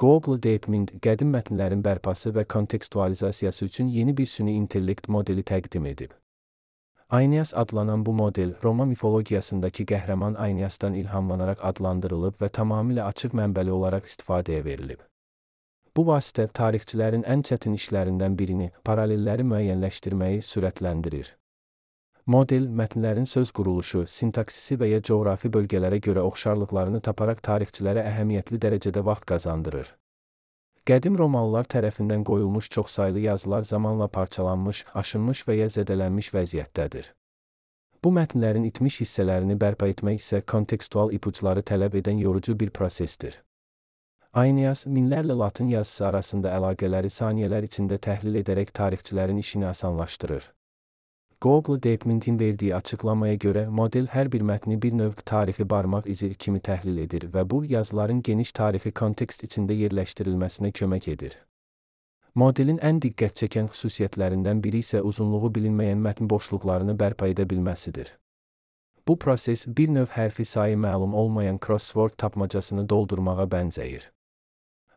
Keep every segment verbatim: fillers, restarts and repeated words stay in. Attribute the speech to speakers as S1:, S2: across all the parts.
S1: Google DeepMind qədim mətnlərin bərpası və kontekstualizasiyası üçün yeni bir süni intellekt modeli təqdim edib. Aeneas adlanan bu model, Roma mifologiyasındakı qəhrəman Aeneasdan ilhamlanaraq adlandırılıb və tamamilə açıq mənbəli olaraq istifadəyə verilib. Bu vasitə tarixçilərin ən çətin işlərindən birini, paralelləri müəyyənləşdirməyi sürətləndirir. Model, mətnlərin söz quruluşu, sintaksisi və ya coğrafi bölgələrə görə oxşarlıqlarını taparaq tarixçilərə əhəmiyyətli dərəcədə vaxt qazandırır. Qədim Romalılar tərəfindən qoyulmuş çoxsaylı yazılar zamanla parçalanmış, aşınmış və ya zədələnmiş vəziyyətdədir. Bu mətnlərin itmiş hissələrini bərpa etmək isə kontekstual ipuçları tələb edən yorucu bir prosesdir. Aeneas, minlərlə latın yazısı arasında əlaqələri saniyələr içində təhlil edərək tarixçilərin işini asanlaşdırır. Google DeepMind'in verdiyi açıqlamaya görə model hər bir mətni bir növ tarixi barmaq izi kimi təhlil edir və bu, yazıların geniş tarixi kontekst içində yerləşdirilməsinə kömək edir. Modelin ən diqqət çəkən xüsusiyyətlərindən biri isə uzunluğu bilinməyən mətn boşluqlarını bərpa edə bilməsidir. Bu proses bir növ hərfi sayı məlum olmayan crossword tapmacasını doldurmağa bənzəyir.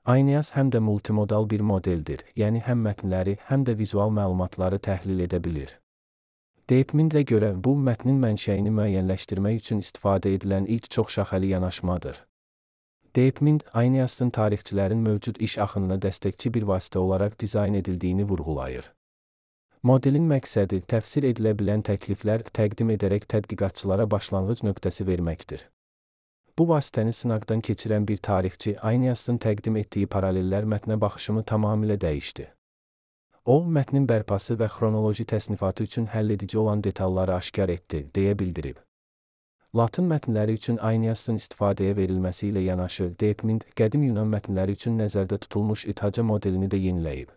S1: Aeneas həm də multimodal bir modeldir, yəni həm mətnləri, həm də vizual məlumatları təhlil edə bilir. DeepMind'ə görə bu, mətnin mənşəyini müəyyənləşdirmək üçün istifadə edilən ilk çoxşaxəli yanaşmadır. DeepMind, Aeneas'ın tarixçilərin mövcud iş axınına dəstəkçi bir vasitə olaraq dizayn edildiyini vurğulayır. Modelin məqsədi, təfsir edilə bilən təkliflər təqdim edərək tədqiqatçılara başlanğıc nöqtəsi verməkdir. Bu vasitəni sınaqdan keçirən bir tarixçi, Aeneas'ın təqdim etdiyi paralellər mətnə baxışımı tamamilə dəyişdi. O, mətnin bərpası və xronoloji təsnifatı üçün həlledici olan detalları aşkar etdi, deyə bildirib. Latın mətnləri üçün Aeneas'ın istifadəyə verilməsi ilə yanaşı, DeepMind, qədim Yunan mətnləri üçün nəzərdə tutulmuş İthaca modelini də yeniləyib.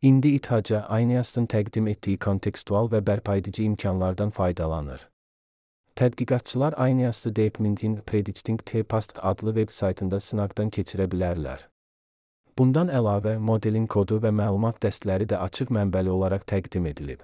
S1: İndi İthaca, Aeneas'ın təqdim etdiyi kontekstual və bərpaedici imkanlardan faydalanır. Tədqiqatçılar Aeneas'ı DeepMind'in Predicting the Past adlı veb saytında sınaqdan keçirə bilərlər. Bundan əlavə, modelin kodu və məlumat dəstləri də açıq mənbəli olaraq təqdim edilib.